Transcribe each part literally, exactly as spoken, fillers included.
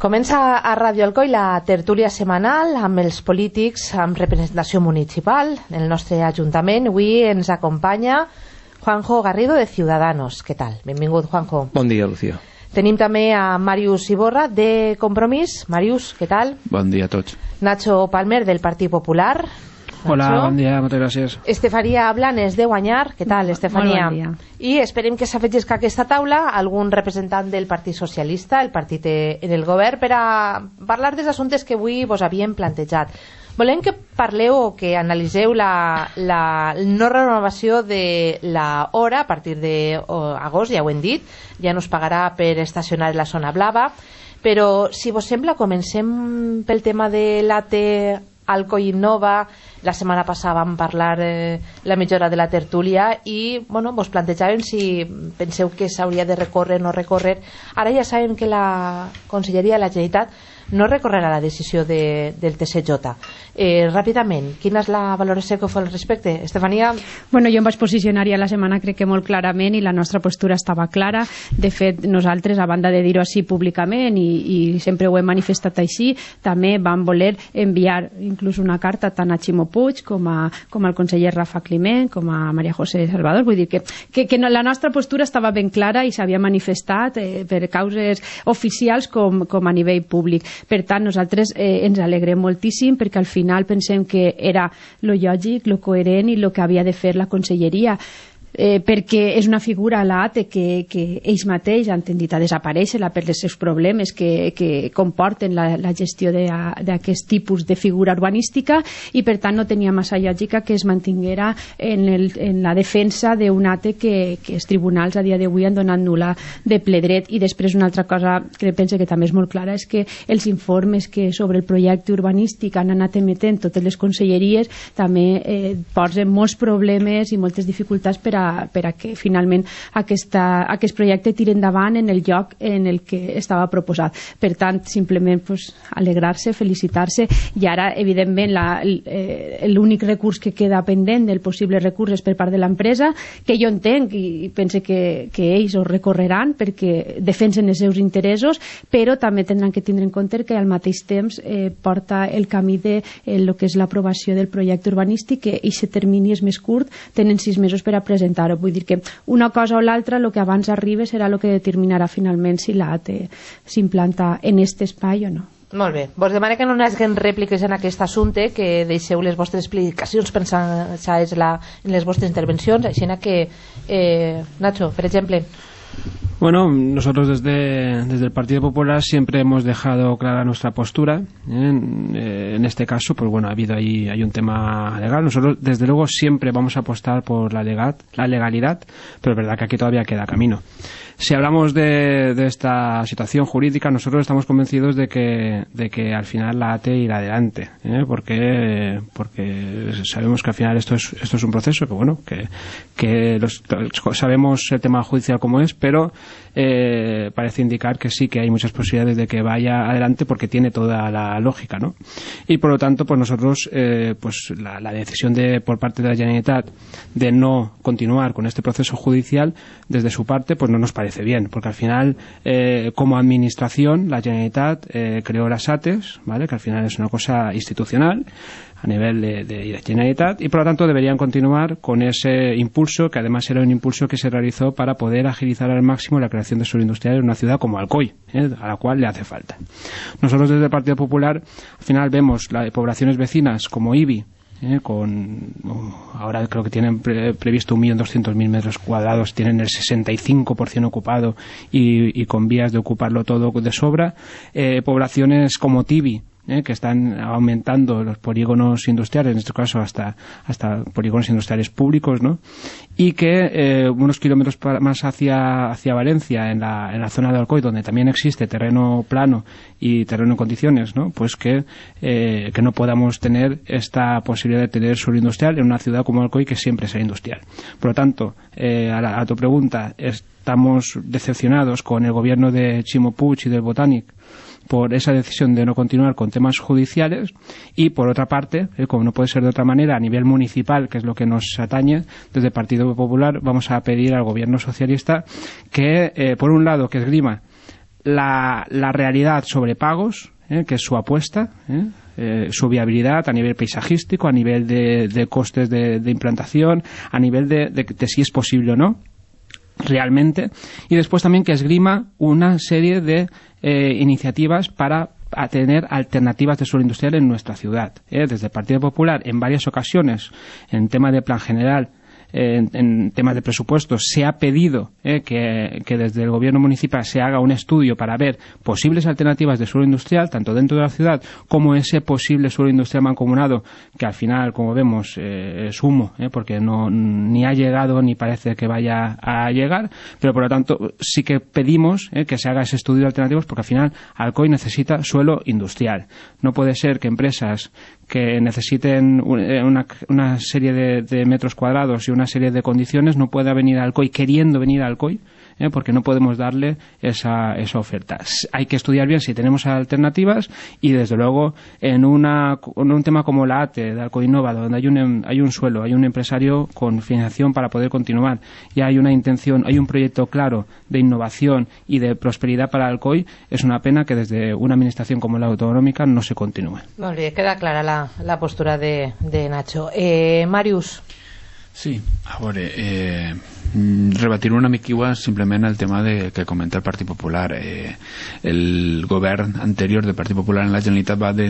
Comença a Ràdio Alcoi la tertúlia setmanal amb els polítics amb representació municipal. En el nostre Ajuntament avui ens acompanya Juanjo Garrido de Ciudadanos. Què tal? Benvingut, Juanjo. Bon dia, Lucía. Tenim també a Màrius Iborra de Compromís. Màrius, què tal? Bon dia a tots. Nacho Palmer del Partit Popular. Hola, bon dia, moltes gràcies. Estefania Blanes de Guanyar. Què tal, Estefania? Molt bon dia. I esperem que s'afegisca a aquesta taula algun representant del Partit Socialista, el partit en el govern, per a parlar dels assumptes que avui vos havíem plantejat. Volem que parleu o que analiseu la, la no renovació de la hora a partir d'agost, ja ho hem dit, ja no es pagarà per estacionar en la zona blava, però si vos sembla comencem pel tema de l'A T Alcoi Innova. La setmana passada vam parlar eh, la mitja hora de la tertúlia i bueno, vos plantejàvem si penseu que s'hauria de recórrer o no recórrer. Ara ja sabem que la Conselleria de la Generalitat no recorrerà la decisió de, del T C J. Eh, ràpidament, quina és la valoració que fa al respecte? Estefania? Bueno, jo em vaig posicionar ja la setmana crec que molt clarament i la nostra postura estava clara. De fet, nosaltres, a banda de dir-ho així públicament i, i sempre ho hem manifestat així, també vam voler enviar inclús una carta tant a Ximo Puig com, a, com al conseller Rafa Climent, com a Maria José Salvador. Vull dir que, que, que no, la nostra postura estava ben clara i s'havia manifestat eh, per causes oficials com, com a nivell públic. Per tant, nosaltres eh, ens alegrem moltíssim perquè al final pensem que era lo lògic, lo coherent i lo que havia de fer la Conselleria. Eh, perquè és una figura, l'A T E, que, que ells mateix han tendit a desaparèixer per els seus problemes que, que comporten la, la gestió d'aquest tipus de figura urbanística i per tant no tenia massa lògica que es mantinguera en, el, en la defensa d'un A T E que, que els tribunals a dia d'avui han donat nul·la de ple dret. I després una altra cosa que penso que també és molt clara és que els informes que sobre el projecte urbanístic han anat emetent totes les conselleries també eh, posen molts problemes i moltes dificultats per a per a que finalment aquesta, aquest projecte tiri endavant en el lloc en el que estava proposat. Per tant, simplement pues, alegrar-se, felicitar-se i ara, evidentment, l'únic recurs que queda pendent del possible recurs és per part de l'empresa, que jo entenc i pense que, que ells ho recorreran perquè defensen els seus interessos, però també tindran que tindre en compte que al mateix temps eh, porta el camí de eh, lo que és l'aprovació del projecte urbanístic, que aquest termini és més curt, tenen sis mesos per a presentar. Vull dir que una cosa o l'altra, el que abans arribi serà el que determinarà finalment si l'A T E s'implanta en aquest espai o no. Molt bé. Vos demano que no hi hagi rèpliques en aquest assumpte, que deixeu les vostres explicacions pensades en les vostres intervencions, així que, eh, Nacho, per exemple. Bueno, nosotros desde, desde el Partido Popular siempre hemos dejado clara nuestra postura. ¿eh? En, eh, en este caso, pues bueno, ha habido ahí hay un tema legal. Nosotros, desde luego, siempre vamos a apostar por la, legal, la legalidad, pero es verdad que aquí todavía queda camino. Si hablamos de, de esta situación jurídica, nosotros estamos convencidos de que, de que al final la A T E irá adelante, ¿eh? porque, porque sabemos que al final esto es, esto es un proceso, que bueno, que, que los, sabemos el tema judicial como es, pero eh, parece indicar que sí que hay muchas posibilidades de que vaya adelante porque tiene toda la lógica, ¿no? Y por lo tanto, pues nosotros, eh, pues la, la decisión de por parte de la Generalitat de no continuar con este proceso judicial, desde su parte, pues no nos parece bien, porque al final, eh, como administración, la Generalitat eh, creó las A T Es, ¿vale? Que al final es una cosa institucional a nivel de, de, de Generalitat, y por lo tanto deberían continuar con ese impulso, que además era un impulso que se realizó para poder agilizar al máximo la creación de suelo industrial en una ciudad como Alcoi, ¿eh? A la cual le hace falta. Nosotros desde el Partido Popular al final vemos las poblaciones vecinas como Ibi, Eh, con oh, ahora creo que tienen pre previsto un millón doscientos mil metros cuadrados, tienen el sesenta y cinco por ciento ocupado y, y con vías de ocuparlo todo de sobra. Eh, poblaciones como Tibi, Eh, que están aumentando los polígonos industriales, en este caso hasta, hasta polígonos industriales públicos, ¿no? Y que eh, unos kilómetros más hacia, hacia Valencia, en la, en la zona de Alcoi, donde también existe terreno plano y terreno en condiciones, ¿no? Pues que, eh, que no podamos tener esta posibilidad de tener suelo industrial en una ciudad como Alcoi, que siempre será industrial. Por lo tanto, eh, a, la, a tu pregunta, estamos decepcionados con el gobierno de Ximo Puig y del Botànic por esa decisión de no continuar con temas judiciales y, por otra parte, eh, como no puede ser de otra manera, a nivel municipal, que es lo que nos atañe, desde el Partido Popular vamos a pedir al gobierno socialista que, eh, por un lado, que esgrima la, la realidad sobre pagos, ¿eh? que es su apuesta, ¿eh? Eh, su viabilidad a nivel paisajístico, a nivel de, de costes de, de implantación, a nivel de, de, de si es posible o no realmente, y después también que esgrima una serie de eh, iniciativas para a tener alternativas de suelo industrial en nuestra ciudad. ¿eh? Desde el Partido Popular, en varias ocasiones, en tema de plan general, En, en temas de presupuestos, se ha pedido eh, que, que desde el gobierno municipal se haga un estudio para ver posibles alternativas de suelo industrial, tanto dentro de la ciudad como ese posible suelo industrial mancomunado, que al final, como vemos, eh, es humo, eh, porque no ni ha llegado ni parece que vaya a llegar, pero por lo tanto sí que pedimos eh, que se haga ese estudio de alternativas, porque al final Alcoy necesita suelo industrial. No puede ser que empresas que necesiten una, una serie de, de metros cuadrados y una serie de condiciones no pueda venir a Alcoy queriendo venir a Alcoy, ¿eh? porque no podemos darle esa, esa oferta. Hay que estudiar bien si tenemos alternativas y, desde luego, en, una, en un tema como la A T E de Alcoy Innova, donde hay un, hay un suelo, hay un empresario con financiación para poder continuar y hay una intención, hay un proyecto claro de innovación y de prosperidad para Alcoy, es una pena que desde una administración como la autonómica no se continúe. Molt bé, queda clara la, la postura de, de Nacho. Eh, Màrius. Sí, a veure, eh, rebatir una mica igual simplement el tema de, que comenta el Partit Popular. Eh, el govern anterior del Partit Popular en la Generalitat va, de,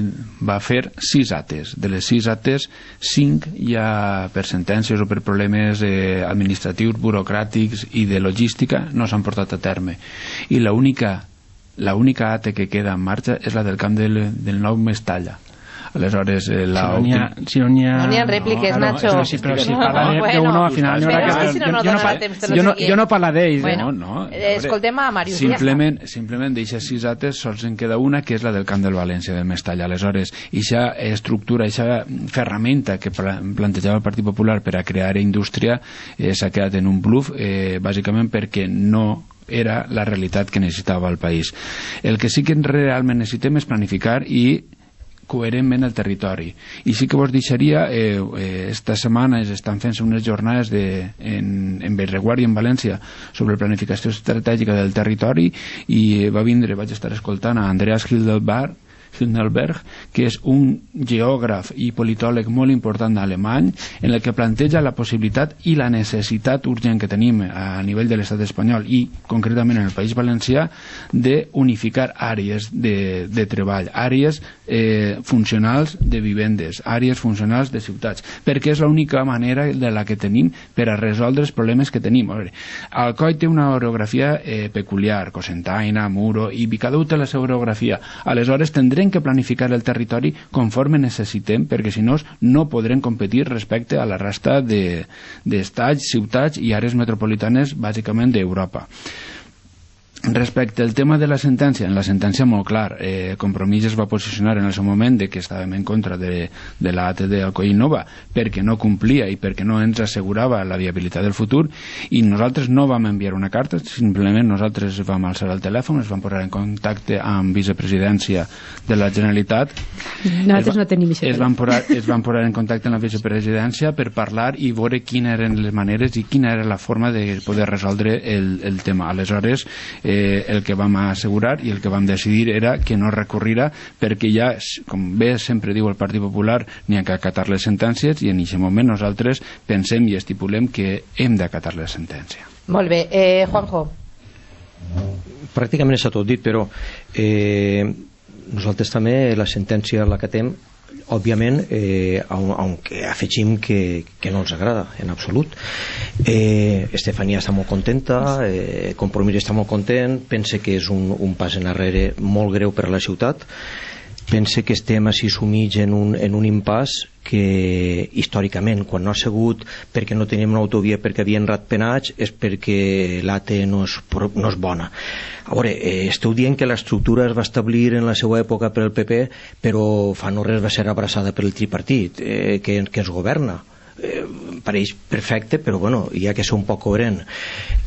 va fer sis ates. De les sis ates, cinc ja per sentències o per problemes eh, administratius, burocràtics i de logística no s'han portat a terme. I l'única l'única ate que queda en marxa és la del camp del, del nou Mestalla. Aleshores, eh, la si no n'hi ha, si no n'hi ha, no n'hi ha rèpliques, no, Nacho. Però, sí, però si parla no, bueno, d'uno, al final... Però és que si no, no dona temps de no jo, no, jo no parla d'ells. Bueno, no, no, eh, escoltem a Màrius. Simplement, ja simplement d'eixes sis ates sols en queda una, que és la del camp del València, del Mestalla. Aleshores, eixa estructura, eixa ferramenta que plantejava el Partit Popular per a crear indústria eh, s'ha quedat en un bluff, eh, bàsicament perquè no era la realitat que necessitava el país. El que sí que realment necessitem és planificar i coherentment el territori. I sí que vos deixaria, eh, eh, esta setmana estan fent unes jornades de, en, en Bellreguard i en València sobre planificació estratègica del territori, i va vindre, vaig estar escoltant a Andreas Hildenberg, Hildenberg, que és un geògraf i politòleg molt important alemany, en el que planteja la possibilitat i la necessitat urgent que tenim a nivell de l'estat espanyol i concretament en el País Valencià d'unificar àrees de, de treball, àrees eh, funcionals de vivendes, àrees funcionals de ciutats, perquè és l'única manera de la que tenim per a resoldre els problemes que tenim. A veure, Alcoi té una orografia eh, peculiar, Cocentaina, Muro, i cada un té la seva orografia. Aleshores tindrem que planificar el territori conforme necessitem, perquè si no no podrem competir respecte a la resta d'estats, de, ciutats i àrees metropolitanes bàsicament d'Europa. Respecte al tema de la sentència, en la sentència molt clar, eh, Compromís es va posicionar en el seu moment de que estàvem en contra de, de la A T E d'Alcoy Innova perquè no complia i perquè no ens assegurava la viabilitat del futur, i nosaltres no vam enviar una carta, simplement nosaltres vam alçar el telèfon, es vam posar en contacte amb vicepresidència de la Generalitat. Nosaltres no tenim vicepresidència. Es van posar, es van posar en contacte amb la vicepresidència per parlar i veure quines eren les maneres i quina era la forma de poder resoldre el, el tema. Aleshores, Eh, el que vam assegurar i el que vam decidir era que no recorrirà, perquè ja, com bé sempre diu el Partit Popular, n'hi ha que acatar les sentències, i en aquest moment nosaltres pensem i estipulem que hem d'acatar la sentència. Molt bé. Eh, Juanjo. Pràcticament està tot dit, però eh, nosaltres també la sentència la acatem, òbviament, eh, aunque afegim que, que no ens agrada en absolut. eh, Estefania està molt contenta, eh, Compromís està molt content, pense que és un, un pas enrere molt greu per a la ciutat, pense que estem així sumits en un, en un impàs que històricament, quan no ha sigut perquè no teníem una autovia perquè havien ratpenats, és perquè l'A T E no és, no és bona. A veure, eh, esteu dient que l'estructura es va establir en la seva època per el P P, però fa no res va ser abraçada per el tripartit eh, que, que ens governa. Eh, pareix perfecte, però bueno, hi ha que ser un poc coherent.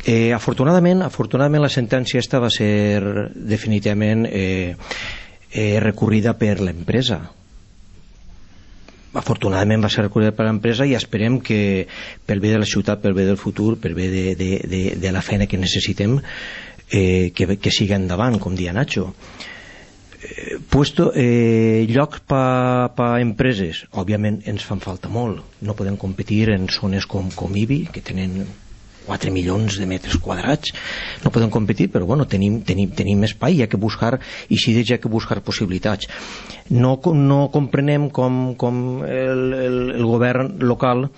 Eh, afortunadament, afortunadament la sentència esta va ser definitivament eh, eh, recorrida per l'empresa. Afortunadament va ser recorrida per l'empresa, i esperem que pel bé de la ciutat, pel bé del futur, pel bé de, de, de, de la feina que necessitem, eh, que, que siga endavant, com dia Nacho. Eh, puesto, eh, llocs per pa empreses, òbviament ens fan falta molt. No podem competir en zones com, com Ibi, que tenen quatre milions de metres quadrats, no podem competir, però bueno, tenim, tenim, tenim espai, hi ha que buscar, i si hi ha que buscar possibilitats. No, no comprenem com, com el, el, el govern local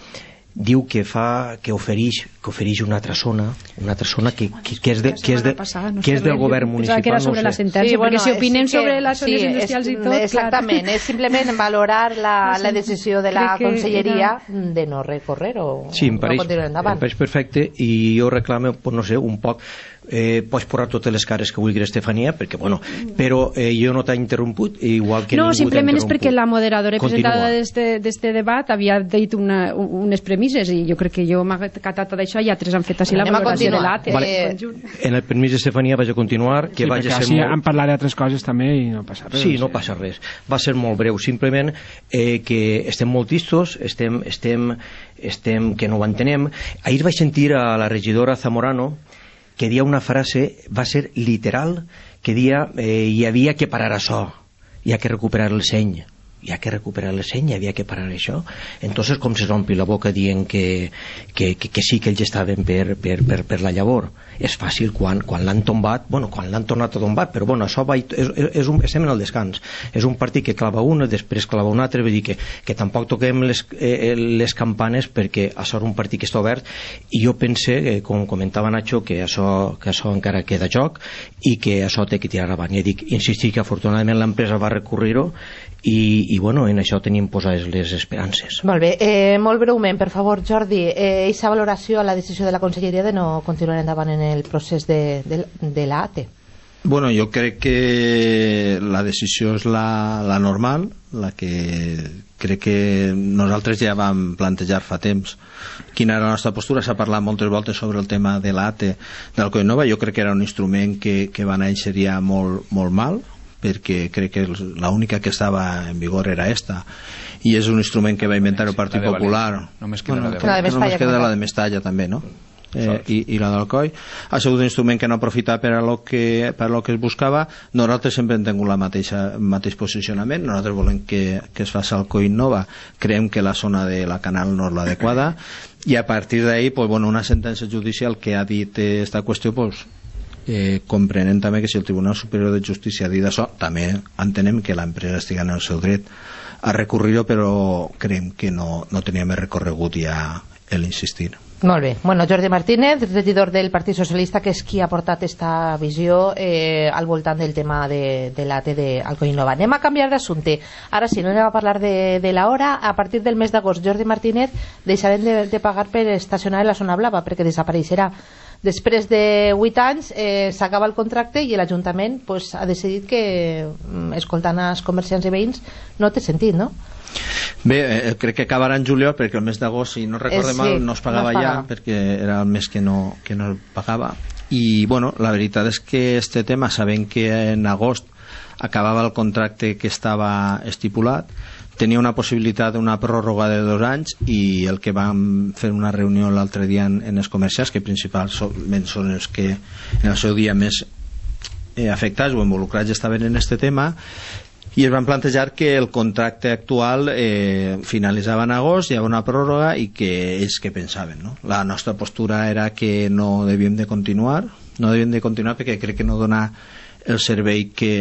diu que fa, que ofereix, que ofereix una altra zona, una altra zona que, que, que és, de, que és, de, que és del govern municipal. Que era sobre la sentència, sí, perquè si opinen sobre les zones industrials i tot... Exactament, és simplement valorar la, la decisió de la conselleria de no recórrer o no continuar endavant. Em pareix perfecte, i jo reclamo, no sé, un poc... Eh, pots posar totes les cares que vulguis, Estefania, perquè, bueno, però eh, jo no t'he interromput, igual que no, ningú simplement és perquè la moderadora presentada d'este debat havia dit una, unes premisses, i jo crec que jo m'ha catat d'això i altres han fet així la valoració de l'A T E. Vale. En el permís d'Estefania vaig a continuar, que sí, vaig a ser molt... molt... han parlat d'altres coses també i no passa res. Sí, no passa res. Va ser molt breu, simplement eh, que estem molt tristos, estem, estem, estem que no ho entenem. Ahir vaig sentir a la regidora Zamorano que dia una frase, va ser literal, que dia eh, hi havia que parar això, hi ha que recuperar el seny, hi ha que recuperar el seny, hi havia que parar això. Entonces com se s'ompli la boca dient que, que, que, que sí que ells estaven per, per, per, per la llavor. És fàcil quan, quan l'han tombat, bueno, quan l'han tornat a tombar, però bueno, això va, és, és un, estem en el descans. És un partit que clava una, després clava un altre, vull dir que, que tampoc toquem les, eh, les campanes, perquè això és un partit que està obert, i jo pense, eh, com comentava Nacho, que això, que això encara queda joc i que això té que tirar avant. I dic, insistir que afortunadament l'empresa va recurrir-ho, i, i bueno, en això tenim posades les esperances. Molt bé, eh, molt breument, per favor, Jordi, eh, aquesta valoració a la decisió de la Conselleria de no continuar endavant en el procés de, de, de l'A T E. Bueno, jo crec que la decisió és la, la normal, la que crec que nosaltres ja vam plantejar fa temps quina era la nostra postura. S'ha parlat moltes voltes sobre el tema de l'A T E del Coinova. Jo crec que era un instrument que, que va néixer ja molt, molt mal, perquè crec que l'única que estava en vigor era esta, i és un instrument que va inventar el Partit Popular. Només queda bueno, la de Mestalla. Només queda la de Mestalla també, no? Eh, i, i la d'Alcoi. Ha sigut un instrument que no ha aprofitat per a lo que, per a lo que es buscava. Nosaltres sempre hem tingut la mateixa, el mateix posicionament. Nosaltres volem que, que es faci Alcoi Nova. Creiem que la zona de la Canal no és l'adequada, i a partir d'ahí, pues, bueno, una sentència judicial que ha dit esta qüestió, pues, eh, comprenent també que si el Tribunal Superior de Justícia ha dit això, també entenem que l'empresa estigui en el seu dret a recurrir-ho, però creiem que no, no tenia més recorregut ja l'insistir. Molt bé. Bueno, Jordi Martínez, regidor del Partit Socialista, que és qui ha portat aquesta visió eh, al voltant del tema de, de l'A T E d'Alcoi Nova. Anem a canviar d'assumpte. Ara sí, no anem a parlar de, de l'hora. A partir del mes d'agost, Jordi Martínez, deixarem de, de pagar per estacionar en la zona blava, perquè desapareixerà. Després de vuit anys eh, s'acaba el contracte i l'Ajuntament pues, ha decidit que, escoltant els comerciants i veïns, no té sentit, no? Bé, eh, crec que acabarà en juliol, perquè el mes d'agost, si no recorde eh, sí, mal, no es pagava no es ja, perquè era el mes que no, que no es pagava. I bueno, la veritat és que este tema, sabent que en agost acabava el contracte que estava estipulat, tenia una possibilitat d'una pròrroga de dos anys, i el que vam fer una reunió l'altre dia en, en els comercials, que principalment són els que en el seu dia més eh, afectats o involucrats estaven en este tema, i es van plantejar que el contracte actual eh, finalitzava en agost, hi havia una pròrroga, i que ells què pensaven, no? La nostra postura era que no devíem de continuar, no devíem de continuar perquè crec que no dona el servei que,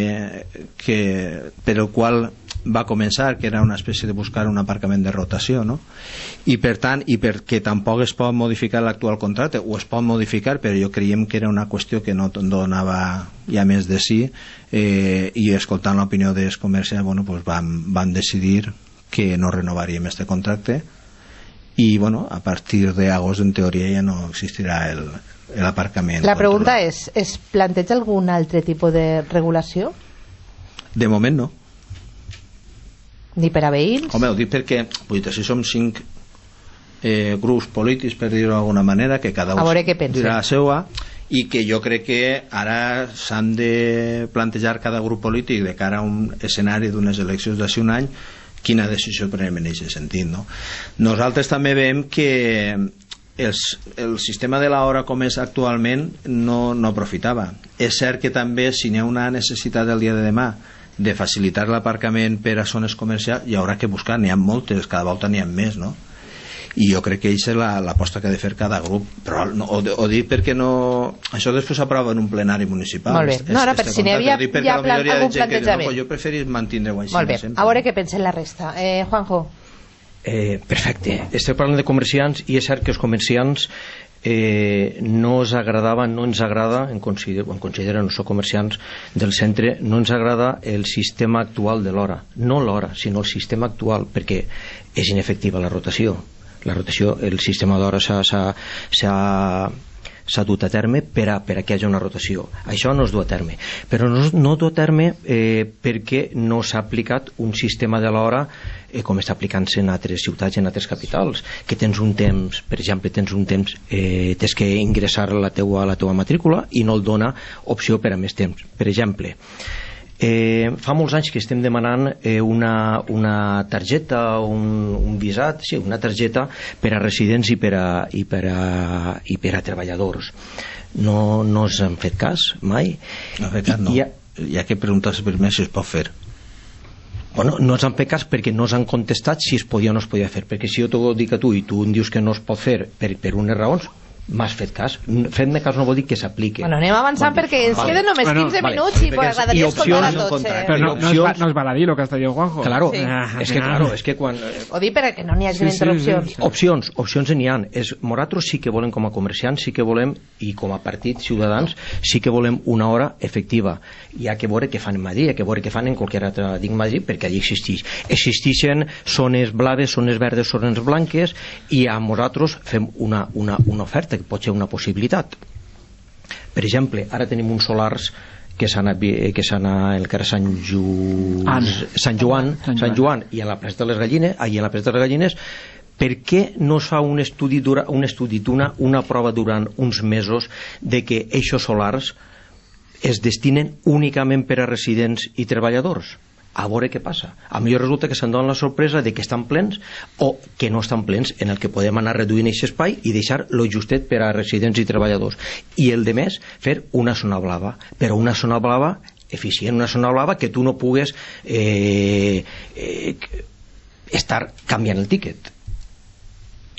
que, per el qual va començar, que era una espècie de buscar un aparcament de rotació, no? I per tant, i perquè tampoc es pot modificar l'actual contracte, o es pot modificar, però jo creiem que era una qüestió que no donava ja més de sí, eh, i escoltant l'opinió dels comerciants, bueno, pues van, van decidir que no renovaríem este contracte, i bueno, a partir d'agost en teoria ja no existirà el, l'aparcament. La pregunta és, es planteja algun altre tipus de regulació? De moment no. Ni per a veïns? Home, ho dic perquè vull dir, si som cinc eh, grups polítics, per dir-ho d'alguna manera, que cada un dirà la seva, i que jo crec que ara s'han de plantejar cada grup polític de cara a un escenari d'unes eleccions d'ací un any, quina decisió prenem en aquest sentit, no? Nosaltres també veiem que el, el sistema de l'hora com és actualment no, no aprofitava. És cert que també si n'hi ha una necessitat el dia de demà de facilitar l'aparcament per a zones comercials, hi haurà que buscar, n'hi ha moltes, cada volta n'hi ha més, no? I jo crec que aquesta és l'aposta que ha de fer cada grup, però no, o, o dir perquè no... Això després s'aprova en un plenari municipal. Molt bé, no, ara per si n'hi havia ja plan, algun plantejament. No, jo preferís mantenir-ho així. Molt bé, sempre. A veure què pensa la resta. Eh, Juanjo. Eh, perfecte, estem parlant de comerciants i és cert que els comerciants eh, no ens agradava, no ens agrada, en considero, en considero no som comerciants del centre, no ens agrada el sistema actual de l'hora, no l'hora, sinó el sistema actual, perquè és inefectiva la rotació. La rotació, el sistema d'hora s'ha dut a terme per a, per a que hi hagi una rotació. Això no es du a terme, però no, no es du a terme eh, perquè no s'ha aplicat un sistema de l'hora eh, com està aplicant-se en altres ciutats i en altres capitals, que tens un temps, per exemple, tens un temps, eh, tens que ingressar la teua, la teua matrícula i no el dona opció per a més temps. Per exemple, Eh, fa molts anys que estem demanant eh, una, una targeta, un, un visat, sí, una targeta per a residents i per a, i per a, i per a treballadors. No, no us han fet cas mai? No, fet cas no. Hi ha, hi ha que preguntar-se per més si es pot fer. Bueno, no ens han fet cas perquè no s'han contestat si es podia o no es podia fer, perquè si jo t'ho dic a tu i tu em dius que no es pot fer per, per unes raons, m'has fet cas. Fet-me cas no vol dir que s'apliqui. Bueno, anem avançant perquè ens vale. Queden només quinze bueno, minuts vale. I pues agradaria escoltar a tots. Eh? Però no, no, es va, no es baladí lo que està dient Juanjo. Claro, sí. és que claro, és que quan... Ho dic perquè no n'hi hagi sí, interrupcions. Sí, sí, sí. Opcions, opcions n'hi ha. És, nosaltres sí que volem com a comerciants, sí que volem, i com a partit ciutadans, sí que volem una hora efectiva. Hi ha que veure què fan en Madrid, hi ha que veure què fan en qualsevol altre dic Madrid, perquè allí existeix. Existeixen zones blaves, zones verdes, zones blanques, i a nosaltres fem una, una, una oferta, que pot ser una possibilitat. Per exemple, ara tenim uns solars que s'han que s'han al carrer Sant, Ju... Sant Joan, Sant Joan i a la plaça de les Gallines, allà a la plaça de les Gallines. Per què no es fa un estudi dura, un estudi d'una una prova durant uns mesos de que aquests solars es destinen únicament per a residents i treballadors? A veure què passa. A millor resulta que se'n dona la sorpresa de que estan plens o que no estan plens, en el que podem anar reduint aquest espai i deixar lo justet per a residents i treballadors. I el de més, fer una zona blava, però una zona blava eficient, una zona blava que tu no pugues eh, eh, estar canviant el tíquet.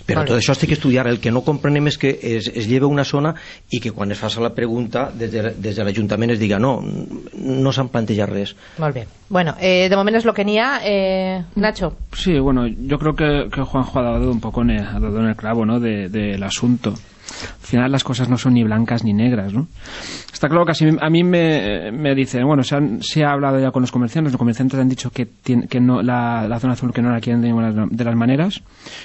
Però vale. Tot això estic estudiant. El que no comprenem és que es, es lleva una zona i que quan es faci la pregunta des de, des de l'Ajuntament es diga no, no s'han plantejat res. Molt bé. Bueno, eh, de moment és lo que n'hi ha. Eh, Nacho. Sí, bueno, yo creo que, que Juanjo ha dado un poco en el, ha dado en el clavo, ¿no? de, de, del asunto. Al final las cosas no son ni blancas ni negras, ¿no? Está claro que así, a mí me, me dicen, bueno, se, han, se ha hablado ya con los comerciantes, los comerciantes han dicho que, tiene, que no, la, la zona azul que no la quieren de ninguna de las maneras.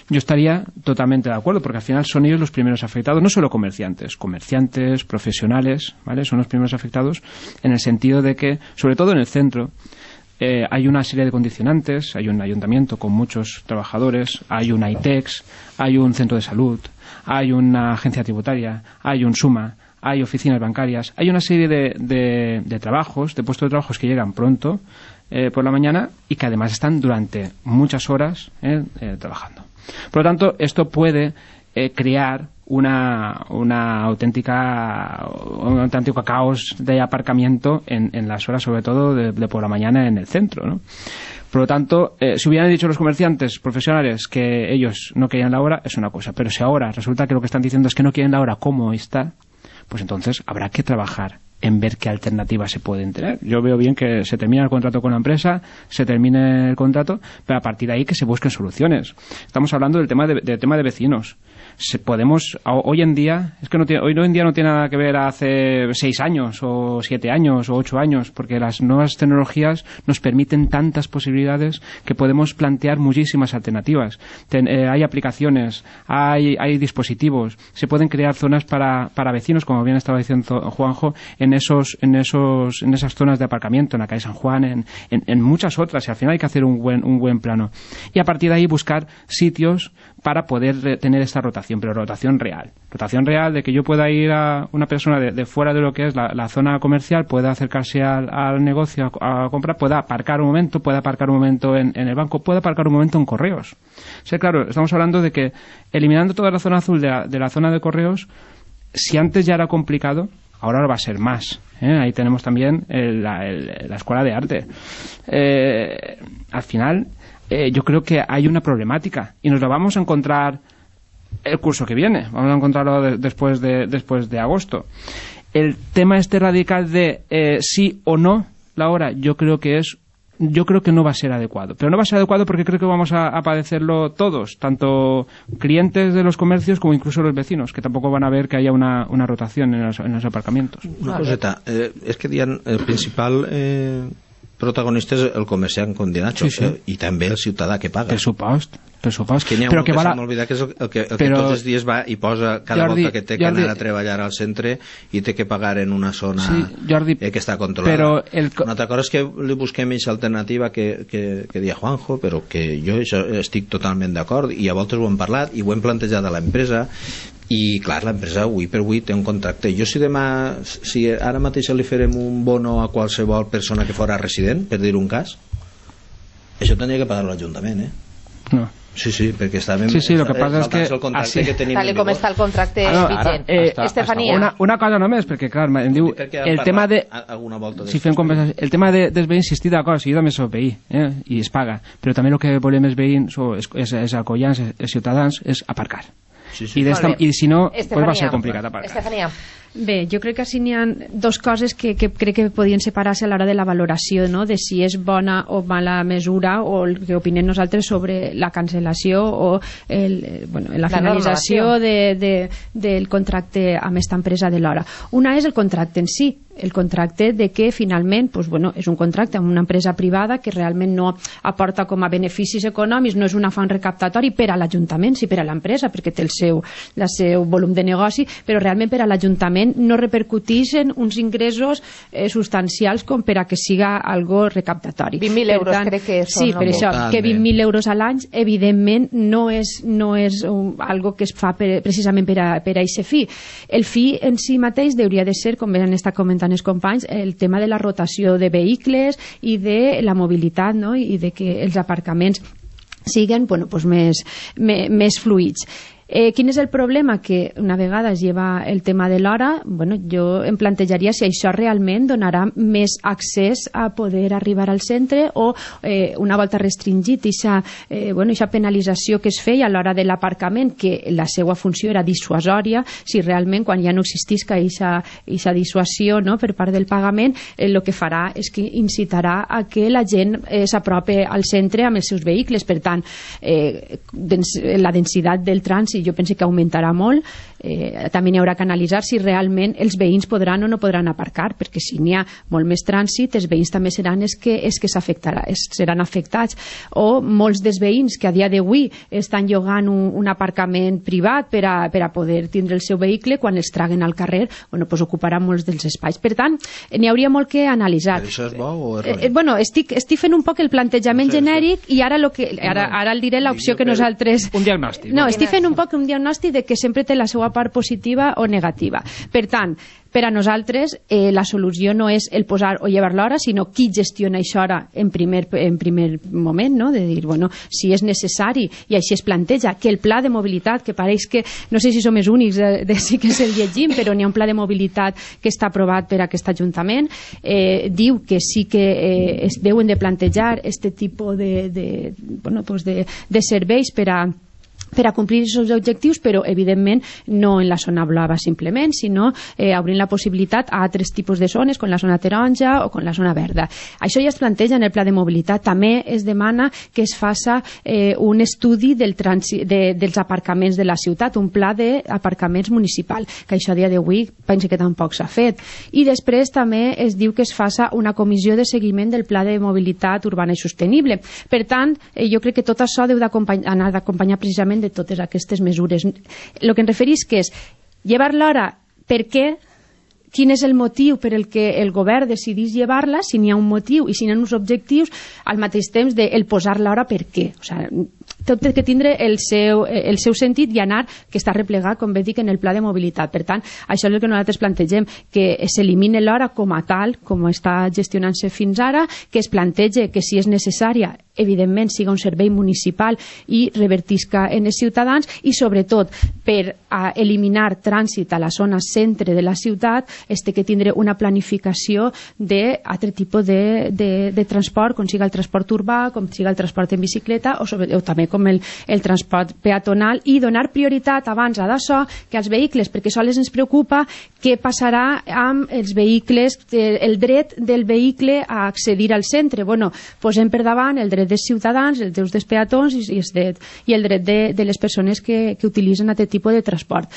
Yo estaría totalmente de acuerdo, porque al final son ellos los primeros afectados, no solo comerciantes, comerciantes, profesionales, ¿vale? Son los primeros afectados en el sentido de que, sobre todo en el centro, Eh, hay una serie de condicionantes, hay un ayuntamiento con muchos trabajadores, hay un AITEX, hay un centro de salud, hay una agencia tributaria, hay un SUMA, hay oficinas bancarias, hay una serie de, de, de trabajos, de puestos de trabajos que llegan pronto eh, por la mañana y que además están durante muchas horas eh, eh, trabajando. Por lo tanto, esto puede eh, crear una, una auténtica un auténtico caos de aparcamiento en, en las horas, sobre todo de, de por la mañana en el centro, ¿no? Por lo tanto, eh, si hubieran dicho los comerciantes profesionales que ellos no querían la hora, es una cosa, pero si ahora resulta que lo que están diciendo es que no quieren la hora como está, pues entonces habrá que trabajar en ver qué alternativas se pueden tener. Yo veo bien que se termine el contrato con la empresa, se termine el contrato, pero a partir de ahí que se busquen soluciones. Estamos hablando del tema de, del tema de vecinos. Se podemos, hoy en día, es que no tiene, hoy en día no tiene nada que ver hace seis años o siete años o ocho años, porque las nuevas tecnologías nos permiten tantas posibilidades que podemos plantear muchísimas alternativas. Ten, eh, hay aplicaciones, hay, hay dispositivos, se pueden crear zonas para, para vecinos, como bien estaba diciendo Juanjo, en en esos, en esos, en esas zonas de aparcamiento, en la calle San Juan, en, en, en muchas otras, y al final hay que hacer un buen, un buen plano. Y a partir de ahí buscar sitios para poder tener esta rotación, pero rotación real. Rotación real de que yo pueda ir a una persona de, de fuera de lo que es la, la zona comercial, pueda acercarse al, al negocio a, a comprar, pueda aparcar un momento, pueda aparcar un momento en, en el banco, pueda aparcar un momento en correos. O sea, claro, estamos hablando de que eliminando toda la zona azul de la, de la zona de correos, si antes ya era complicado, ahora va a ser más. ¿eh? Ahí tenemos también el, la, el, la escuela de arte. Eh, al final, eh, yo creo que hay una problemática y nos la vamos a encontrar el curso que viene. Vamos a encontrarlo de, después, de, después de agosto. El tema este radical de eh, sí o no la hora, yo creo que es yo creo que no va a ser adecuado. Pero no va a ser adecuado porque creo que vamos a, a padecerlo todos, tanto clientes de los comercios como incluso los vecinos, que tampoco van a ver que haya una, una rotación en los, en los aparcamientos. Una coseta, eh, és que dient, el principal eh, protagonista és el comerciant condemnat, sí, sí. eh, i també el ciutadà que paga. Pressupost. pressupost. Que però que val a... m'oblidar que és el, el, que, el però... que tots els dies va i posa cada Jordi, volta que té que Jordi... anar a treballar al centre i té que pagar en una zona sí, Jordi, eh, que està controlada. Però el... Una altra cosa és que li busquem aquesta alternativa que, que, que dia Juanjo, però que jo estic totalment d'acord i a voltes ho hem parlat i ho hem plantejat a l'empresa i clar, l'empresa avui per avui té un contracte. Jo si demà, si ara mateix li farem un bono a qualsevol persona que fora resident, per dir un cas, això tenia que pagar l'Ajuntament, eh? No. Sí, sí, perquè estàvem sí, sí, lo que passa és que el contracte así, que tenim tal com està el contracte ah, no, vigent. Eh, Estefania. Una, una cosa només, perquè clar, em diu el tema de si fem conversació, el tema de, dels veïns, insistir d'acord, si jo també soc veí eh, i es paga, però també el que volem els veïns o és, és, és acollants, els ciutadans, és aparcar. Sí, sí. I, i si no, pues va ser complicat aparcar. Estefania. Bé, jo crec que així n'hi ha dues coses que, que crec que podien separar-se a l'hora de la valoració, no? De si és bona o mala mesura o el que opinem nosaltres sobre la cancel·lació o el, bueno, la, la finalització de, de, del contracte amb aquesta empresa de l'hora. Una és el contracte en si, el contracte de que finalment pues, bueno, és un contracte amb una empresa privada que realment no aporta com a beneficis econòmics, no és un afany recaptatori per a l'Ajuntament, sí per a l'empresa, perquè té el seu, el seu volum de negoci, però realment per a l'Ajuntament no repercuteixen uns ingressos eh, substancials com per a que siga algo recaptatori. vint mil euros tant, crec que són. Sí, per això, que vint mil euros a l'any evidentment no és, no és un, algo que es fa per, precisament per a, per a aquest fi. El fi en si mateix hauria de ser, com han estat comentant els companys, el tema de la rotació de vehicles i de la mobilitat, no? I de que els aparcaments siguin bueno, pues més, més, més fluids. Eh, quin és el problema? Que una vegada es lleva el tema de l'hora, bueno, jo em plantejaria si això realment donarà més accés a poder arribar al centre o eh, una volta restringit aquesta eh, bueno, penalització que es feia a l'hora de l'aparcament, que la seva funció era dissuasòria, si realment quan ja no existisca aquesta dissuasió no, per part del pagament, el eh, que farà és que incitarà a que la gent eh, s'apropi al centre amb els seus vehicles. Per tant, eh, dens la densitat del trànsit jo penso que augmentarà molt. Eh, també n'hi haurà que analitzar si realment els veïns podran o no podran aparcar, perquè si n'hi ha molt més trànsit, els veïns també seran els que, els que s'afectarà, seran afectats. O molts dels veïns que a dia d'avui estan llogant un, un aparcament privat per a, per a poder tindre el seu vehicle, quan els traguen al carrer, bueno, pues ocuparan molts dels espais. Per tant, n'hi hauria molt que analitzar. Però això és bo o és eh, bueno, estic, estic fent un poc el plantejament no sé, genèric i ara, lo que, ara, ara el diré l'opció que nosaltres... Un diagnòstic. No, estic fent un poc un diagnòstic de que sempre té la seva part positiva o negativa. Per tant, per a nosaltres eh, la solució no és el posar o llevar l'hora, sinó qui gestiona això hora en primer, en primer moment, no? De dir, bueno, si és necessari, i així es planteja, que el pla de mobilitat, que pareix que, no sé si som els únics de, de sí que se'l llegim, però n'hi ha un pla de mobilitat que està aprovat per aquest Ajuntament, eh, diu que sí que eh, es deuen de plantejar este tipus de, de, bueno, pues de, de serveis per a per a complir aquests objectius, però evidentment no en la zona blava simplement, sinó eh, obrint la possibilitat a altres tipus de zones, com la zona taronja o com la zona verda. Això ja es planteja en el pla de mobilitat. També es demana que es faça eh, un estudi del trànsit, de, dels aparcaments de la ciutat, un pla d'aparcaments municipal, que això a dia d'avui penso que tampoc s'ha fet. I després també es diu que es faça una comissió de seguiment del pla de mobilitat urbana i sostenible. Per tant, eh, jo crec que tot això deu anar d'acompanyar precisament de totes aquestes mesures. El que em referís que és llevar l'hora per què, quin és el motiu per el que el govern decidís llevar-la, si n'hi ha un motiu i si n'hi ha uns objectius, al mateix temps de el posar-la ara per què. O sigui, tot té que tindre el seu, el seu sentit i anar, que està replegat, com bé dic, en el pla de mobilitat. Per tant, això és el que nosaltres plantegem, que s'elimine l'hora com a tal, com està gestionant-se fins ara, que es plantege que si és necessària, evidentment siga un servei municipal i revertisca en els ciutadans, i sobretot per a eliminar trànsit a la zona centre de la ciutat es té que tindre una planificació d'altre tipus de, de, de transport, com siga el transport urbà, com siga el transport en bicicleta o, sobre, o també com el, el transport peatonal, i donar prioritat abans a d'això que als vehicles, perquè sols ens preocupa què passarà amb els vehicles, el dret del vehicle a accedir al centre. Bueno, posem per davant el dret dels ciutadans, els drets dels peatons i, i, el, i el dret de, de les persones que, que utilitzen aquest tipus de transport.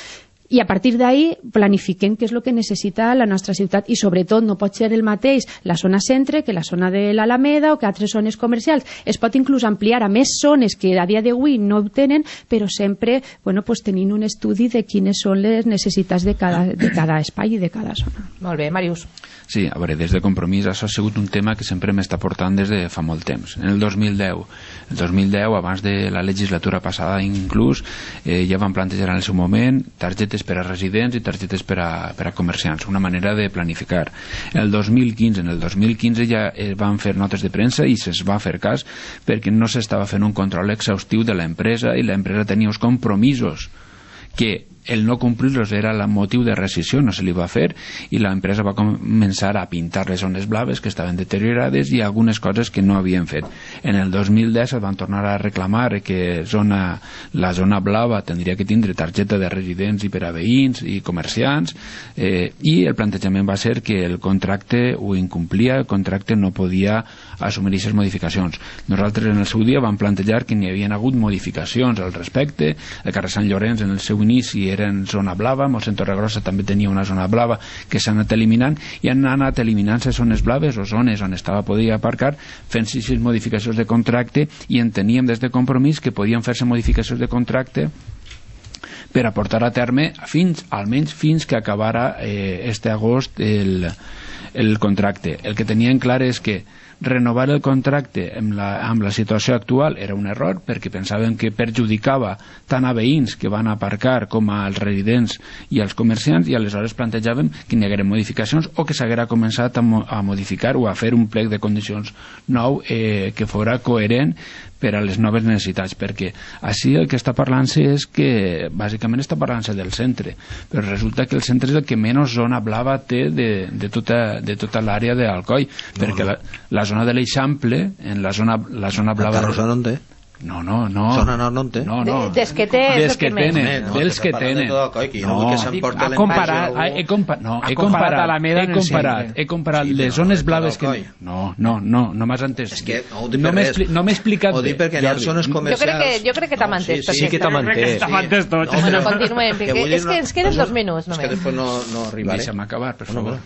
I a partir d'ahí planifiquem què és el que necessita la nostra ciutat, i sobretot no pot ser el mateix la zona centre que la zona de l'Alameda o que altres zones comercials. Es pot inclús ampliar a més zones que a dia d'avui no ho tenen, però sempre bueno, pues, tenint un estudi de quines són les necessitats de cada, de cada espai i de cada zona. Molt bé, Màrius. Sí, a veure, des de Compromís això ha sigut un tema que sempre m'està portant des de fa molt temps. En el dos mil deu, el dos mil deu, abans de la legislatura passada inclús, eh, ja van plantejar en el seu moment targetes per a residents i targetes per a, per a comerciants, una manera de planificar. El dos mil quinze, en el dos mil quinze ja es van fer notes de premsa i se's va fer cas perquè no s'estava fent un control exhaustiu de l'empresa i l'empresa tenia uns compromisos que el no complir-los era el motiu de rescissió, no se li va fer, i l'empresa va començar a pintar les zones blaves que estaven deteriorades i algunes coses que no havien fet. En el dos mil deu es van tornar a reclamar que zona, la zona blava tindria que tindre targeta de residents i per a veïns i comerciants, eh, i el plantejament va ser que el contracte ho incomplia, el contracte no podia assumir aquestes modificacions. Nosaltres en el seu dia vam plantejar que n'hi havia hagut modificacions al respecte. El carrer Sant Llorenç en el seu inici era en zona blava, Mossèn Torregrossa també tenia una zona blava que s'ha anat eliminant i han anat eliminant-se zones blaves o zones on estava podia aparcar fent sis modificacions de contracte, i enteníem des de Compromís que podien fer-se modificacions de contracte per a portar a terme fins, almenys fins que acabara eh, este agost el, el contracte. El que tenien clar és que renovar el contracte amb la, amb la situació actual era un error, perquè pensaven que perjudicava tant a veïns que van aparcar com als residents i als comerciants, i aleshores plantejàvem que n'hi hagueren modificacions o que s'haguera començat a, mo a modificar o a fer un plec de condicions nou eh, que fora coherent per a les noves necessitats, perquè així el que està parlant-se és que bàsicament està parlant-se del centre, però resulta que el centre és el que menys zona blava té de, de tota, de tota l'àrea d'Alcoi, no, perquè no. La, la zona de l'Eixample, en la zona, la zona blava... La Tarrosa no en té? No, no, no. Zona nord no en té? No, no. Des que té és des que tenen, dels que tenen. No, ha comparat, he comparat, no, he comparat, he comparat, he comparat les zones blaves que... No, no, no, no m'has entès. És que no ho dic per res. No m'he explicat bé. Ho dic perquè hi ha zones comercials... Jo crec que t'ha mantès. Sí que t'ha mantès. Bueno, continuem, perquè és que ens queden dos minuts només. És que després no arribaré. Deixa'm acabar, per favor.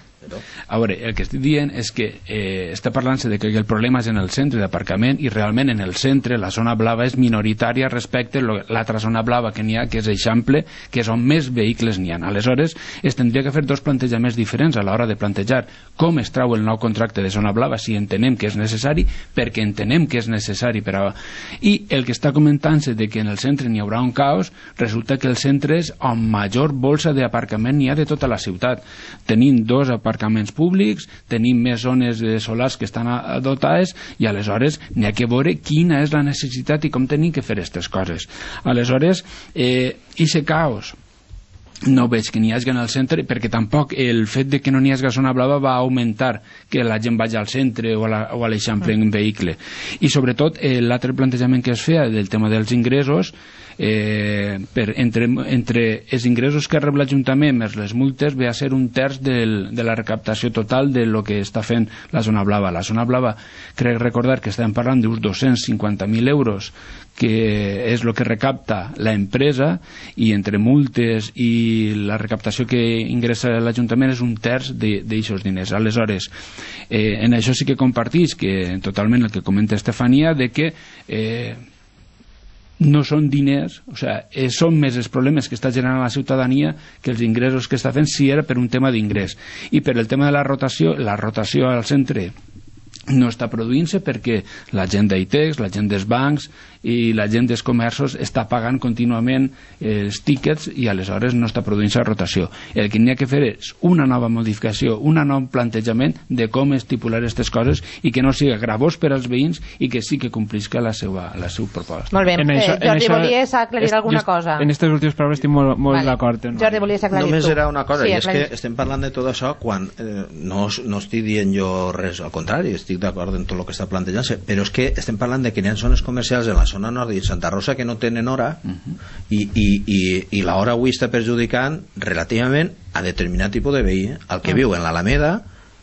A veure, el que estic dient és que eh, està parlant-se de que el problema és en el centre d'aparcament, i realment en el centre la zona blava és minoritària respecte a l'altra zona blava que n'hi ha, que és Eixample, que és on més vehicles n'hi ha. Aleshores, es tindria que fer dos plantejaments diferents a l'hora de plantejar com es trau el nou contracte de zona blava, si entenem que és necessari, perquè entenem que és necessari per a... I el que està comentant-se de que en el centre n'hi haurà un caos, resulta que el centre és on major bolsa d'aparcament n'hi ha de tota la ciutat. Tenim dos aparcaments aparcaments públics, tenim més zones de solars que estan dotades, i aleshores n'hi ha que veure quina és la necessitat i com tenim que fer aquestes coses. Aleshores, eh, ixe caos no veig que n'hi hagi en el centre, perquè tampoc el fet de que no n'hi hagi zona blava va augmentar que la gent vagi al centre o a l'Eixample en vehicle. I sobretot eh, l'altre plantejament que es feia del tema dels ingressos, eh, per, entre, entre els ingressos que rep l'Ajuntament més les multes ve a ser un terç del, de la recaptació total de lo que està fent la zona blava. La zona blava, crec recordar que estem parlant d'uns dos-cents cinquanta mil euros, que és el que recapta l'empresa, i entre multes i la recaptació que ingressa l'Ajuntament és un terç d'aixòs diners. Aleshores, eh, en això sí que compartís que totalment el que comenta Estefania, de que eh, no són diners, o sigui, eh, són més els problemes que està generant la ciutadania que els ingressos que està fent, si era per un tema d'ingrés. I per el tema de la rotació, la rotació al centre no està produint-se perquè la gent d'I T E X, la gent dels bancs i la gent dels comerços està pagant contínuament els tíquets i aleshores no està produint-se rotació. El que n'hi ha que fer és una nova modificació, un nou plantejament de com estipular aquestes coses i que no sigui gravós per als veïns i que sí que complisca la seva, la seva proposta. Molt bé, eh, això, Jordi, això, volies aclarir alguna cosa? En aquestes últimes paraules estic molt, molt vale. d'acord. No? Jordi, volies aclarir Només tu? Només era una cosa, sí, i és que estem parlant de tot això quan eh, no, no estic dient jo res, al contrari, estic d'acord en tot el que està plantejant-se, però és que estem parlant de que hi ha zones comercials en la zona nord i Santa Rosa que no tenen hora uh-huh. i, i, i, i l'hora avui està perjudicant relativament a determinat tipus de veí, el que uh-huh. viu en l'Alameda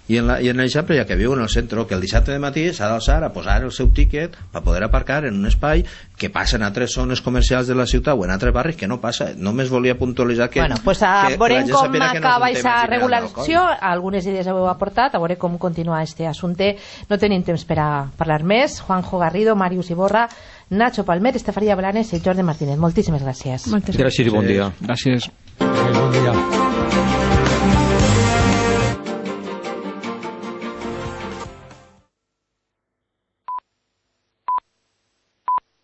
i en, la, i en l'Eixample i el que viu en el centre, que el dissabte de matí s'ha d'alçar a posar el seu tíquet per poder aparcar en un espai que passa en altres zones comercials de la ciutat o en altres barris que no passa. Només volia puntualitzar que, bueno, pues a que, veurem que la gent com acaba aquesta no regulació, algunes idees heu aportat, a veure com continua este assumpte. No tenim temps per a parlar més. Juanjo Garrido, Màrius Iborra, Nacho Palmer, Estefanía Blanes i Jordi Martínez. Moltíssimes gràcies. Moltes gràcies i bon dia. Gràcies. Bon dia.